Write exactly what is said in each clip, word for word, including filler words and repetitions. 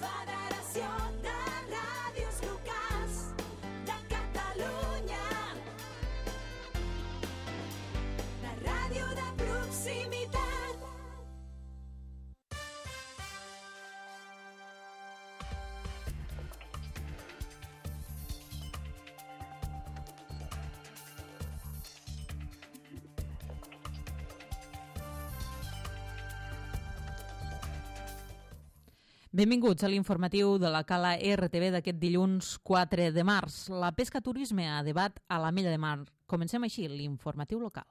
Federació de Ràdios Locals de Catalunya. La ràdio de proximitat. Benvinguts a l'informatiu de la Cala R T V d'aquest dilluns quatre de març. La pesca turisme a debat a l'Ametlla de Mar. Comencem així l'informatiu local.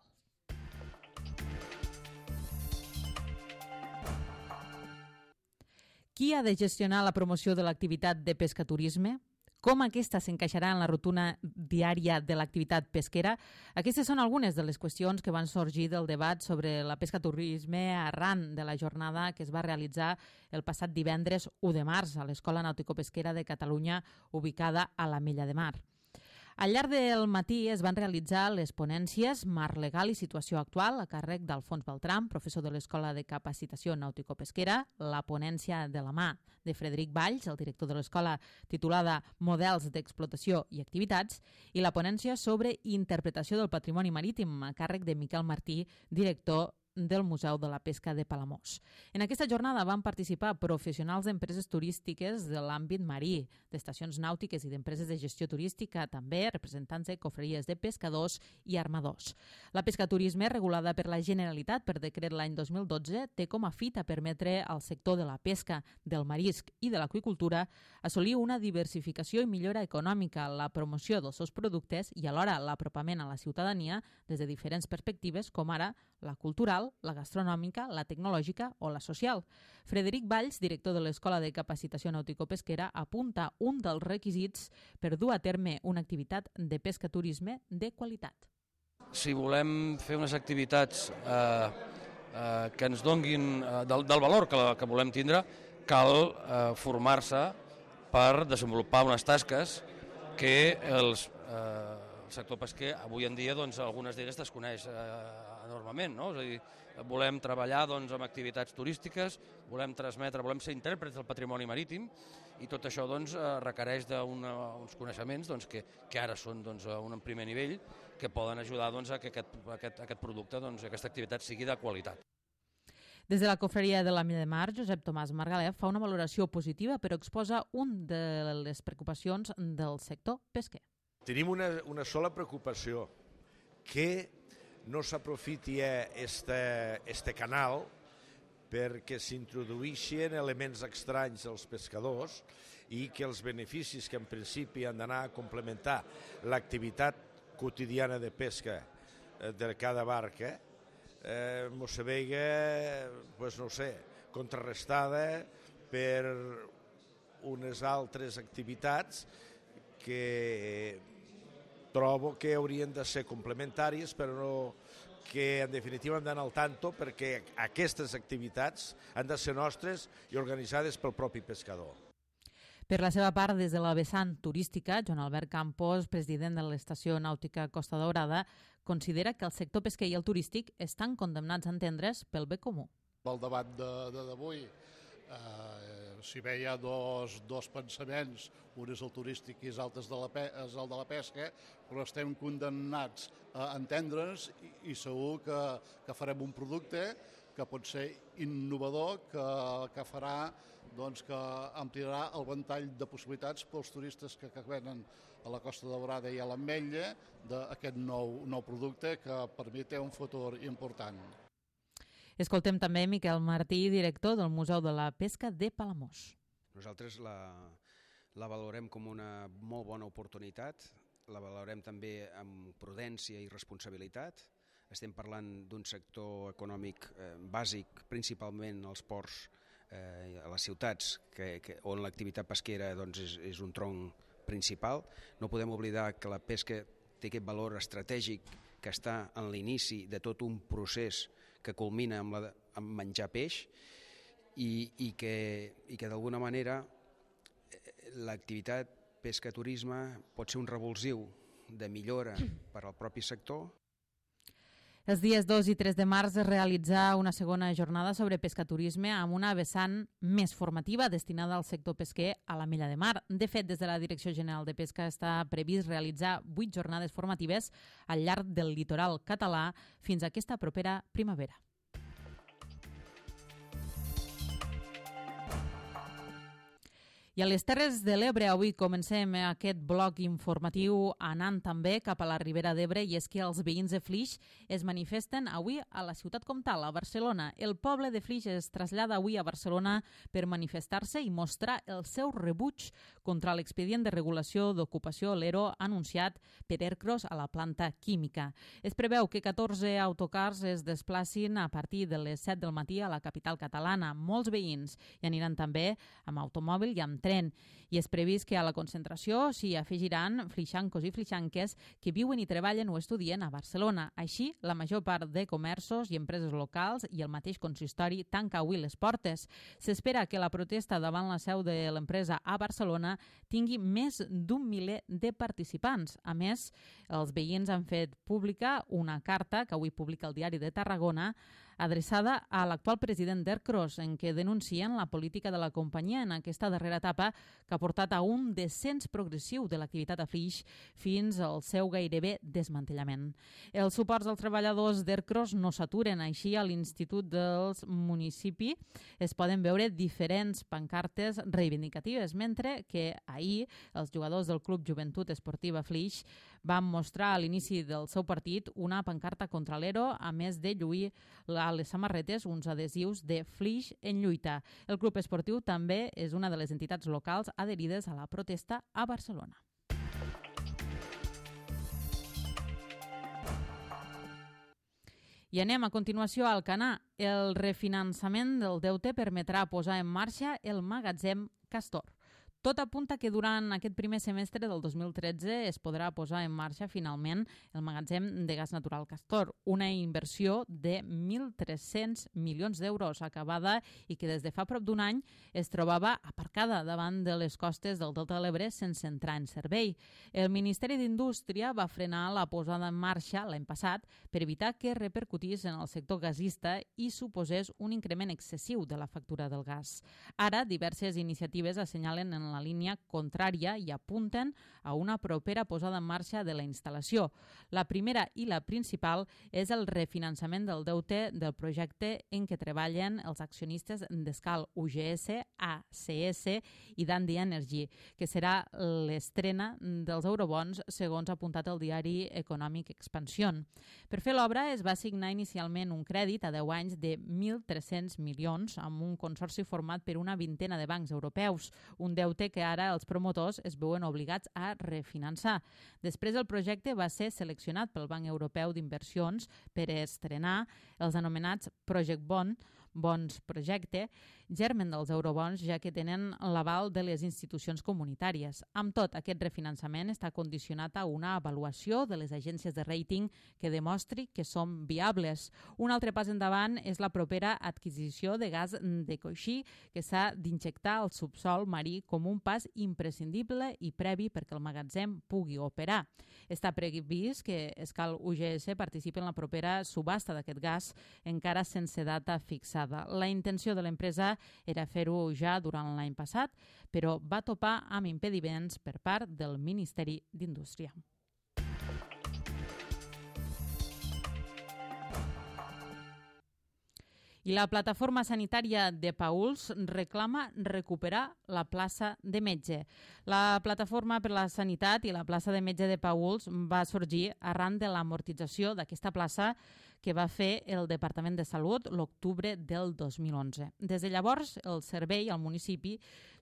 Qui ha de gestionar la promoció de l'activitat de pesca turisme? Com aquesta s'encaixarà en la rutina diària de l'activitat pesquera? Aquestes són algunes de les qüestions que van sorgir del debat sobre la pesca turisme arran de la jornada que es va realitzar el passat divendres u de març a l'Escola Nàutico-Pesquera de Catalunya, ubicada a l'Ametlla de Mar. Al llarg del matí es van realitzar les ponències Marc legal i situació actual a càrrec d'Alfons Beltram, professor de l'Escola de Capacitació Nàutico-Pesquera, la ponència de la mà de Frederic Valls, el director de l'Escola, titulada Models d'explotació i activitats, i la ponència sobre interpretació del patrimoni marítim a càrrec de Miquel Martí, director del Museu de la Pesca de Palamós. En aquesta jornada van participar professionals d'empreses turístiques de l'àmbit marí, d'estacions nàutiques i d'empreses de gestió turística, també representants de cofreries de pescadors i armadors. La pesca turisme, regulada per la Generalitat per decret l'any dos mil dotze, té com a fita permetre al sector de la pesca, del marisc i de l'aqüicultura assolir una diversificació i millora econòmica, la promoció dels seus productes i alhora l'apropament a la ciutadania des de diferents perspectives, com ara la cultural, la gastronòmica, la tecnològica o la social. Frederic Valls, director de l'Escola de Capacitació Nàutico-Pesquera, apunta un dels requisits per dur a terme una activitat de pesca-turisme de qualitat. Si volem fer unes activitats eh, eh, que ens donguin eh, del, del valor que, que volem tindre, cal eh, formar-se per desenvolupar unes tasques que els, eh, el sector pesquer avui en dia, doncs, algunes d'elles desconeix eh, enormement, no? És a dir, volem treballar doncs, amb activitats turístiques, volem transmetre, volem ser intèrprets del patrimoni marítim i tot això doncs, requereix d'uns coneixements doncs, que, que ara són doncs, a un primer nivell que poden ajudar doncs, a que aquest, aquest, aquest producte, doncs, aquesta activitat sigui de qualitat. Des de la cofreria de l'Ametlla de Mar, Josep Tomàs Margalef fa una valoració positiva però exposa un de les preocupacions del sector pesquer. Tenim una, una sola preocupació, que no s'aprofiti este, este canal perquè s'introduïxin elements estranys als pescadors i que els beneficis que en principi han d'anar a complementar l'activitat quotidiana de pesca de cada barca eh, mos se veiga, pues no sé, contrarrestada per unes altres activitats que trobo que haurien de ser complementàries, però no, que en definitiva hem d'anar al tanto perquè aquestes activitats han de ser nostres i organitzades pel propi pescador. Per la seva part, des de la vessant turística, Joan Albert Campos, president de l'Estació Nàutica Costa Daurada, considera que el sector pesquer i el turístic estan condemnats a entendre's pel bé comú. El debat d'avui, eh, si bé hi ha dos, dos pensaments, un és el turístic i l'altre és, és el de la pesca, però estem condemnats a entendre'ns i, i segur que, que farem un producte que pot ser innovador, que, que farà doncs, que ampliarà el ventall de possibilitats pels turistes que, que venen a la Costa Daurada i a l'Ametlla d'aquest nou, nou producte que per mi té un futur important. Escoltem també Miquel Martí, director del Museu de la Pesca de Palamós. Nosaltres la, la valorem com una molt bona oportunitat, la valorem també amb prudència i responsabilitat. Estem parlant d'un sector econòmic eh, bàsic, principalment als ports, eh, a les ciutats, que, que, on l'activitat pesquera doncs, és, és un tronc principal. No podem oblidar que la pesca té aquest valor estratègic que està en l'inici de tot un procés que culmina amb, la, amb menjar peix i, i que, i que d'alguna manera l'activitat pesca-turisme pot ser un revulsiu de millora per al propi sector. Els dies dos i tres de març es realitza una segona jornada sobre pescaturisme amb una vessant més formativa destinada al sector pesquer a la Mella de Mar. De fet, des de la Direcció General de Pesca està previst realitzar vuit jornades formatives al llarg del litoral català fins a aquesta propera primavera. I a les Terres de l'Ebre avui comencem aquest bloc informatiu anant també cap a la Ribera d'Ebre, i és que els veïns de Flix es manifesten avui a la ciutat comtal, a Barcelona. El poble de Flix es trasllada avui a Barcelona per manifestar-se i mostrar el seu rebuig contra l'expedient de regulació d'ocupació l'ERO anunciat per Ercros a la planta química. Es preveu que catorze autocars es desplacin a partir de les set del matí a la capital catalana. Molts veïns hi aniran també amb automòbil i amb tren, i és previst que a la concentració s'hi afegiran flixancos i flixanques que viuen i treballen o estudien a Barcelona. Així, la major part de comerços i empreses locals i el mateix consistori tanca avui les portes. S'espera que la protesta davant la seu de l'empresa a Barcelona tingui més d'un miler de participants. A més, els veïns han fet pública una carta que avui publica el Diari de Tarragona adreçada a l'actual president d'Ercros, en què denuncien la política de la companyia en aquesta darrera etapa que ha portat a un descens progressiu de l'activitat a Flix fins al seu gairebé desmantellament. Els suports als treballadors d'Ercros no s'aturen. Així, a l'Institut dels Municipis es poden veure diferents pancartes reivindicatives, mentre que ahir els jugadors del Club Joventut Esportiva Flix van mostrar a l'inici del seu partit una pancarta contra l'ERO, a més de lluir a les samarretes uns adhesius de Flix en lluita. El club esportiu també és una de les entitats locals adherides a la protesta a Barcelona. I anem a continuació a Alcanar. El refinançament del deute permetrà posar en marxa el magatzem Castor. Tot apunta que durant aquest primer semestre del dos mil tretze es podrà posar en marxa finalment el magatzem de gas natural Castor, una inversió de mil tres-cents milions d'euros acabada i que des de fa prop d'un any es trobava aparcada davant de les costes del Delta de l'Ebre sense entrar en servei. El Ministeri d'Indústria va frenar la posada en marxa l'any passat per evitar que repercutís en el sector gasista i suposés un increment excessiu de la factura del gas. Ara, diverses iniciatives assenyalen en la línia contrària i apunten a una propera posada en marxa de la instal·lació. La primera i la principal és el refinançament del deute del projecte en què treballen els accionistes d'Escal U G S, A C S i Dundee Energy, que serà l'estrena dels eurobons, segons ha apuntat el diari econòmic Expansión. Per fer l'obra es va assignar inicialment un crèdit a deu anys de mil tres-cents milions amb un consorci format per una vintena de bancs europeus, un deute que ara els promotors es veuen obligats a refinançar. Després el projecte va ser seleccionat pel Banc Europeu d'Inversions per estrenar els anomenats Project Bond, bons projecte, germen dels eurobons, ja que tenen l'aval de les institucions comunitàries. Amb tot, aquest refinançament està condicionat a una avaluació de les agències de rating que demostri que són viables. Un altre pas endavant és la propera adquisició de gas de coixí, que s'ha d'injectar al subsol marí com un pas imprescindible i previ perquè el magatzem pugui operar. Està previst que Escal U G S participi en la propera subhasta d'aquest gas, encara sense data fixada. La intenció de l'empresa era fer-ho ja durant l'any passat, però va topar amb impediments per part del Ministeri d'Indústria. I la plataforma sanitària de Paüls reclama recuperar la plaça de metge. La plataforma per la sanitat i la plaça de metge de Paüls va sorgir arran de l'amortització d'aquesta plaça que va fer el Departament de Salut l'octubre del dos mil onze. Des de llavors, el servei al municipi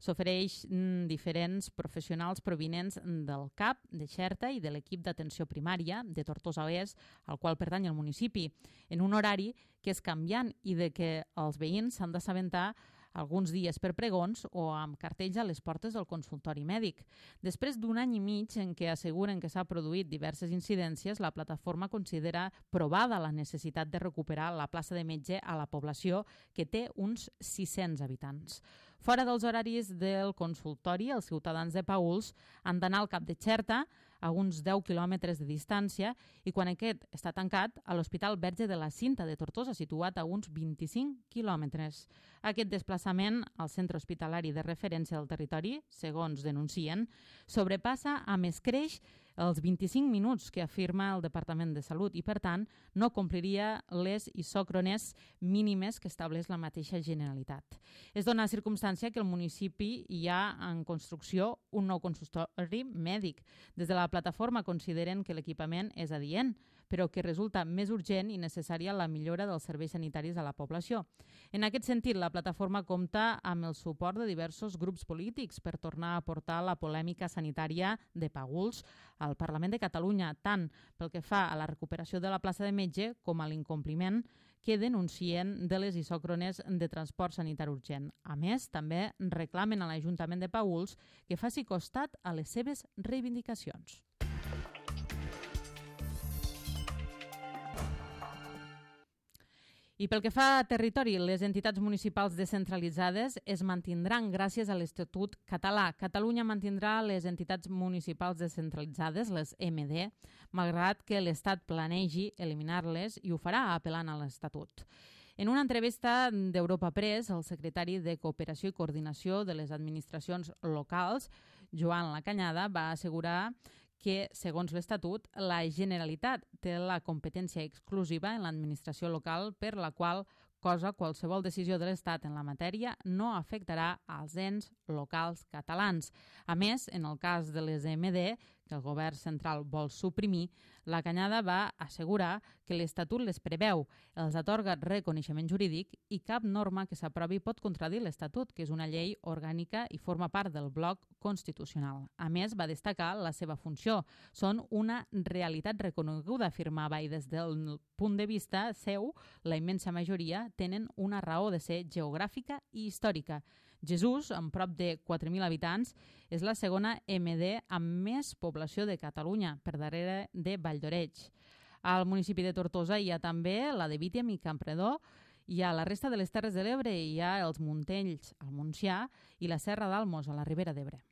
s'ofereix diferents professionals provinents del C A P, de Xerta i de l'equip d'atenció primària de Tortosa Oest, al qual pertany el municipi, en un horari que és canviant i de que els veïns s'han d'assabentar alguns dies per pregons o amb cartells a les portes del consultori mèdic. Després d'un any i mig en què asseguren que s'ha produït diverses incidències, la plataforma considera provada la necessitat de recuperar la plaça de metge a la població, que té uns sis-cents habitants. Fora dels horaris del consultori, els ciutadans de Paüls han d'anar al Cap de Xerta a uns deu quilòmetres de distància, i quan aquest està tancat, a l'Hospital Verge de la Cinta de Tortosa, situat a uns vint-i-cinc quilòmetres. Aquest desplaçament al centre hospitalari de referència del territori, segons denuncien, sobrepassa amb escreix els vint-i-cinc minuts que afirma el Departament de Salut i, per tant, no compliria les isòcrones mínimes que estableix la mateixa Generalitat. Es dona circumstància que al municipi hi ha en construcció un nou consultori mèdic. Des de la plataforma consideren que l'equipament és adient, però que resulta més urgent i necessària la millora dels serveis sanitaris a la població. En aquest sentit, la plataforma compta amb el suport de diversos grups polítics per tornar a portar la polèmica sanitària de Paüls al Parlament de Catalunya, tant pel que fa a la recuperació de la plaça de metge com a l'incompliment que denuncien de les isòcrones de transport sanitari urgent. A més, també reclamen a l'Ajuntament de Paüls que faci costat a les seves reivindicacions. I pel que fa a territori, les entitats municipals descentralitzades es mantindran gràcies a l'Estatut català. Catalunya mantindrà les entitats municipals descentralitzades, les M D, malgrat que l'Estat planegi eliminar-les i ho farà apel·lant a l'Estatut. En una entrevista d'Europa Press, el secretari de Cooperació i Coordinació de les Administracions Locals, Joan Lacanyada, va assegurar que, segons l'Estatut, la Generalitat té la competència exclusiva en l'administració local, per la qual cosa qualsevol decisió de l'Estat en la matèria no afectarà als ens locals catalans. A més, en el cas de les M D, que el govern central vol suprimir, la Canyada va assegurar que l'Estatut les preveu, els atorga reconeixement jurídic i cap norma que s'aprovi pot contradir l'Estatut, que és una llei orgànica i forma part del bloc constitucional. A més, va destacar la seva funció. Són una realitat reconeguda, afirmava, i des del punt de vista seu, la immensa majoria tenen una raó de ser geogràfica i històrica. Jesús, amb prop de quatre mil habitants, és la segona M D amb més població de Catalunya, per darrere de Valldoreix. Al municipi de Tortosa hi ha també la de Vítem i Campredó, i a la resta de les Terres de l'Ebre hi ha els Muntells, al Montsià, i la Serra d'Almos, a la Ribera d'Ebre.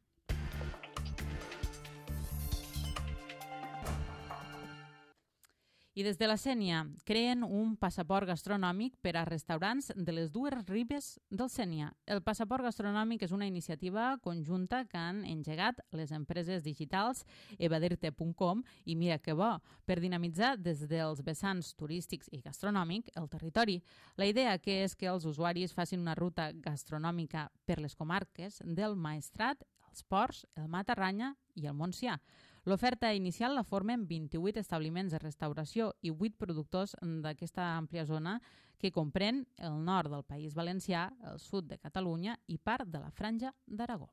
I des de la Sénia creen un passaport gastronòmic per a restaurants de les dues ribes del Sénia. El passaport gastronòmic és una iniciativa conjunta que han engegat les empreses digitals evadirte punt com i Mira que bo, per dinamitzar des dels vessants turístics i gastronòmic el territori. La idea que és que els usuaris facin una ruta gastronòmica per les comarques del Maestrat, els Ports, el Matarranya i el Montsià. L'oferta inicial la formen vint-i-vuit establiments de restauració i vuit productors d'aquesta àmplia zona que comprèn el nord del País Valencià, el sud de Catalunya i part de la Franja d'Aragó.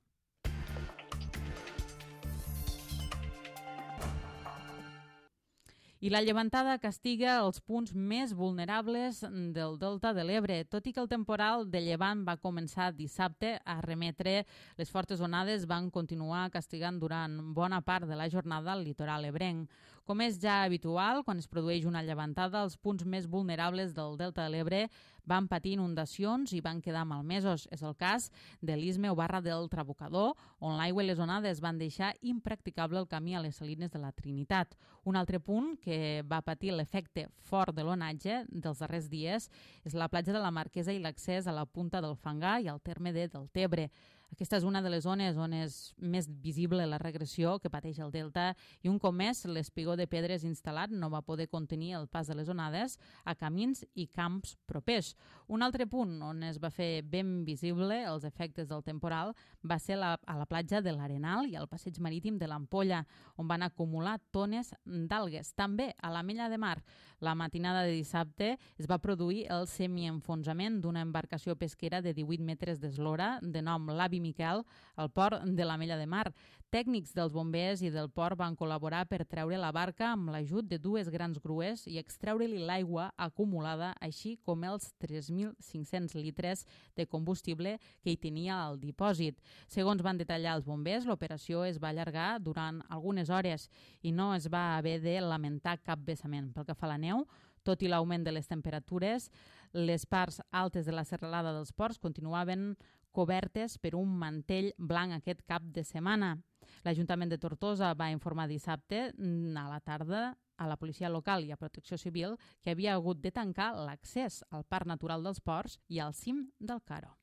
I la llevantada castiga els punts més vulnerables del Delta de l'Ebre. Tot i que el temporal de llevant va començar dissabte a remetre, les fortes onades van continuar castigant durant bona part de la jornada al litoral ebrenc. Com és ja habitual, quan es produeix una llevantada, els punts més vulnerables del Delta de l'Ebre van patir inundacions i van quedar malmesos. És el cas de l'Isme o Barra del Trabucador, on l'aigua i les onades van deixar impracticable el camí a les salines de la Trinitat. Un altre punt que va patir l'efecte fort de l'onatge dels darrers dies és la platja de la Marquesa i l'accés a la punta del Fangar i al terme de Deltebre. Aquesta és una de les zones on és més visible la regressió que pateix el delta i un cop més l'espigó de pedres instal·lat no va poder contenir el pas de les onades a camins i camps propers. Un altre punt on es va fer ben visible els efectes del temporal va ser la, a la platja de l'Arenal i al passeig marítim de l'Ampolla, on van acumular tones d'algues. També a l'Ametlla de Mar, la matinada de dissabte es va produir el semienfonsament d'una embarcació pesquera de divuit metres d'eslora de nom l'Avi Miquel al port de l'Ametlla de Mar. Tècnics dels bombers i del port van col·laborar per treure la barca amb l'ajut de dues grans grues i extreure-li l'aigua acumulada, així com els tres mil cinc-cents litres de combustible que hi tenia al dipòsit. Segons van detallar els bombers, l'operació es va allargar durant algunes hores i no es va haver de lamentar cap vessament. Pel que fa a la neu, tot i l'augment de les temperatures, les parts altes de la serralada dels ports continuaven cobertes per un mantell blanc aquest cap de setmana. L'Ajuntament de Tortosa va informar dissabte a la tarda a la policia local i a Protecció Civil que havia hagut de tancar l'accés al Parc Natural dels Ports i al cim del Caro.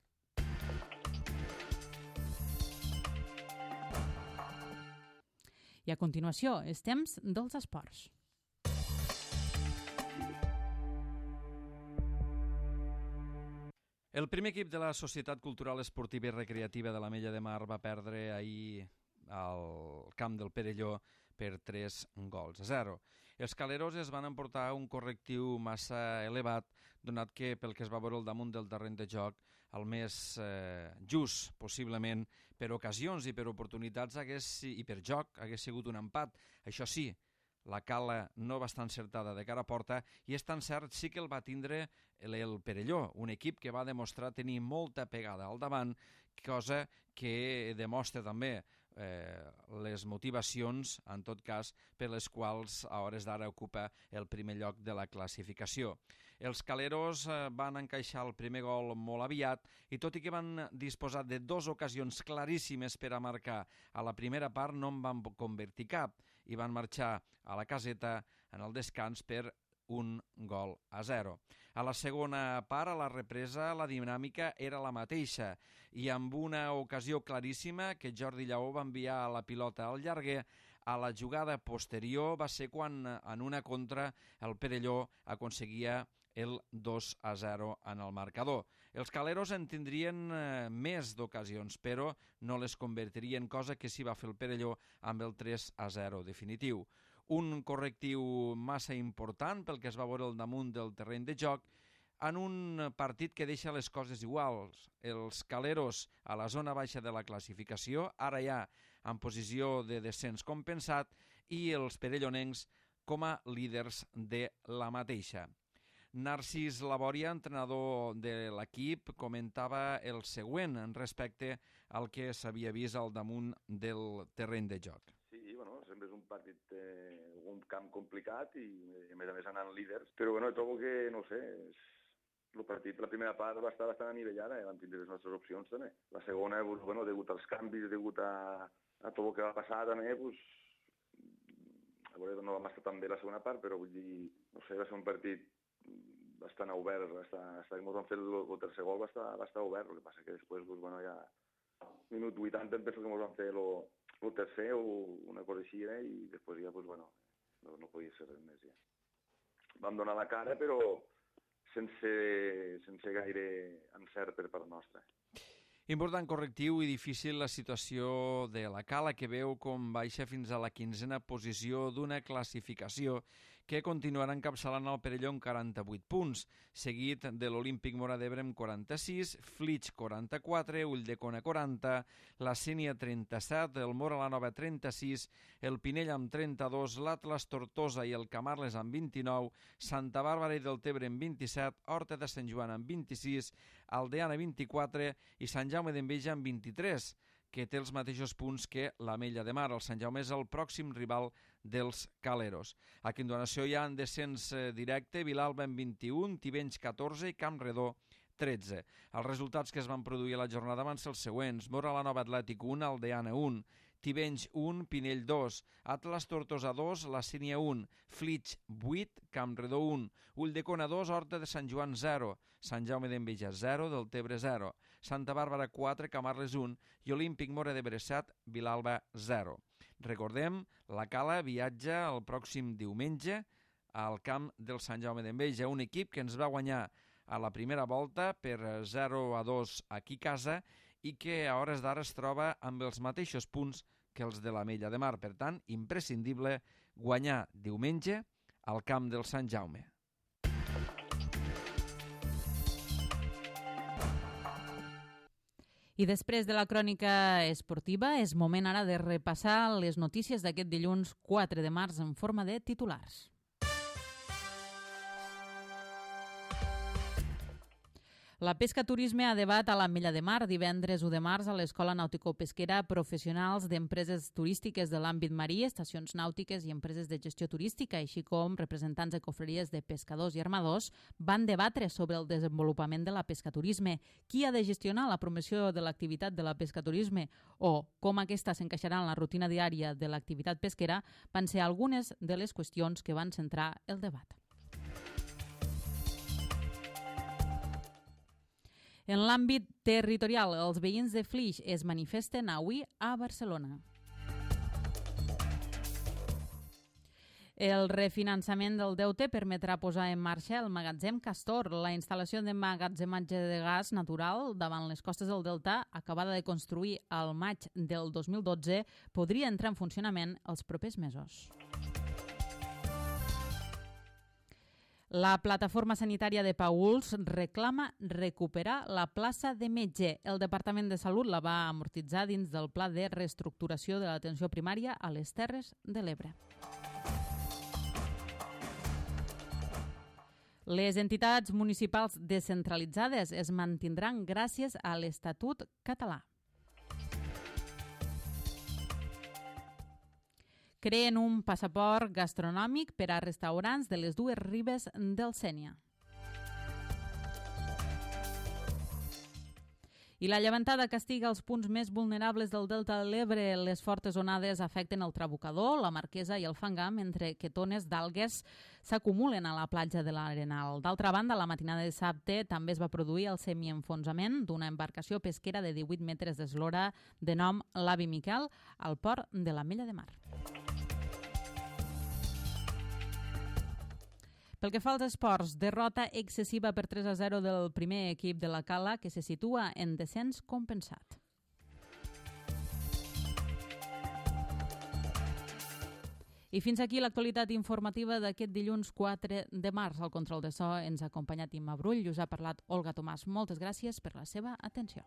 I a continuació, és temps dels esports. El primer equip de la Societat Cultural Esportiva i Recreativa de l'Ametlla de Mar va perdre ahir al camp del Perelló per tres gols a zero. Els caleros es van emportar un correctiu massa elevat, donat que pel que es va veure al damunt del terreny de joc, el més eh, just, possiblement, per ocasions i per oportunitats hagués, i per joc hagués sigut un empat. Això sí, la cala no va estar encertada de cara a porta i és tan cert sí que el va tindre el, el Perelló, un equip que va demostrar tenir molta pegada al davant, cosa que demostra també eh, les motivacions, en tot cas, per les quals a hores d'ara ocupa el primer lloc de la classificació. Els caleros eh, van encaixar el primer gol molt aviat i tot i que van disposar de dues ocasions claríssimes per a marcar a la primera part, no en van convertir cap i van marxar a la caseta en el descans per un gol a zero. A la segona part, a la represa, la dinàmica era la mateixa i amb una ocasió claríssima que Jordi Lleó va enviar la pilota al llarguer, a la jugada posterior va ser quan en una contra el Perelló aconseguia el dos a zero en el marcador. Els caleros en tindrien eh, més d'ocasions, però no les convertirien, cosa que sí va fer el Perelló amb el tres a zero definitiu. Un correctiu massa important pel que es va veure al damunt del terreny de joc en un partit que deixa les coses iguals. Els caleros a la zona baixa de la classificació, ara ja en posició de descens compensat, i els perellonencs com a líders de la mateixa. Narcís Labòria, entrenador de l'equip, comentava el següent en respecte al que s'havia vist al damunt del terreny de joc. Sí, bueno, sempre és un partit, eh, un camp complicat i a més a més anant líders, però bueno, trobo que, no sé, el partit, la primera part va estar bastant anivellada, eh? Vam tindre les nostres opcions també. La segona, pues, bueno, degut als canvis, degut a, a tot el que va passar també, pues, a veure, no vam estar tan bé la segona part, però vull dir, no sé, va ser un partit bastant obert, bastant, bastant, ens vam fer el, el tercer gol, va estar, va estar obert, el que passa que després, pues, bueno, ja minut vuitanta em penso que ens vam fer lo, el tercer o una cosa així, eh? I després ja, pues, bueno, no, no podia ser res més ja. Vam donar la cara, però sense, sense gaire encert per part nostra. Important correctiu i difícil la situació de la Cala, que veu com baixa fins a la quinzena posició d'una classificació que continuarà encapçalant el Perelló amb quaranta-vuit punts, seguit de l'Olímpic Móra d'Ebre amb quaranta-sis, Flix quaranta-quatre, Ulldecona quaranta, la Sénia trenta-set, el Móra la Nova trenta-sis, el Pinell amb trenta-dos, l'Atlas Tortosa i el Camarles amb vint-i-nou, Santa Bàrbara i Deltebre amb vint-i-set, Horta de Sant Joan amb vint-i-sis, Aldeana vint-i-quatre i Sant Jaume d'Enveja amb vint-i-tres, que té els mateixos punts que l'Ametlla de Mar. El Sant Jaume és el pròxim rival dels caleros. A continuació hi ha en descens directe Vilalba amb vint-i-un, Tivenys catorze i Campredó tretze. Els resultats que es van produir a la jornada van ser els següents: Móra la Nova Atlètic un, Aldeana un, Tivenys un, Pinell dos, Atlas Tortosa dos, la Sénia un, Flix vuit, Campredó un, Ulldecona dos, Horta de Sant Joan zero, Sant Jaume d'Enveja zero, Deltebre zero, Santa Bàrbara quatre, Camarles un i Olímpic Móra d'Ebre set, Vilalba zero. Recordem, la Cala viatja el pròxim diumenge al camp del Sant Jaume d'Enveja, un equip que ens va guanyar a la primera volta per zero a dos aquí a casa i que a hores d'ara es troba amb els mateixos punts que els de l'Ametlla de Mar. Per tant, imprescindible guanyar diumenge al camp del Sant Jaume. I després de la crònica esportiva, és moment ara de repassar les notícies d'aquest dilluns quatre de març en forma de titulars. La pesca turisme a debat a l'Ametlla de Mar divendres u de març a l'Escola Nàutico-Pesquera professionals d'empreses turístiques de l'àmbit marí, estacions nàutiques i empreses de gestió turística, així com representants de cofreries de pescadors i armadors, van debatre sobre el desenvolupament de la pescaturisme, qui ha de gestionar la promoció de l'activitat de la pescaturisme o com aquesta s'encaixarà en la rutina diària de l'activitat pesquera, van ser algunes de les qüestions que van centrar el debat. En l'àmbit territorial, els veïns de Flix es manifesten avui a Barcelona. El refinançament del deute permetrà posar en marxa el magatzem Castor. La instal·lació de magatzematge de gas natural davant les costes del Delta, acabada de construir al maig del dos mil dotze, podria entrar en funcionament els propers mesos. La plataforma sanitària de Paüls reclama recuperar la plaça de metge. El Departament de Salut la va amortitzar dins del pla de reestructuració de l'atenció primària a les Terres de l'Ebre. Les entitats municipals descentralitzades es mantindran gràcies a l'Estatut català. Creen un passaport gastronòmic per a restaurants de les dues ribes del Sénia. I la llevantada castiga els punts més vulnerables del Delta de l'Ebre. Les fortes onades afecten el Trabucador, la Marquesa i el Fangar, mentre que tones d'algues s'acumulen a la platja de l'Arenal. D'altra banda, la matinada de dissabte també es va produir el semienfonsament d'una embarcació pesquera de divuit metres d'eslora de nom l'Avi Miquel al port de l'Ametlla de Mar. Pel que fa als esports, derrota excessiva per tres a zero del primer equip de la Cala, que se situa en descens compensat. I fins aquí l'actualitat informativa d'aquest dilluns quatre de març. Al control de so ens ha acompanyat Imma Brull i us ha parlat Olga Tomàs. Moltes gràcies per la seva atenció.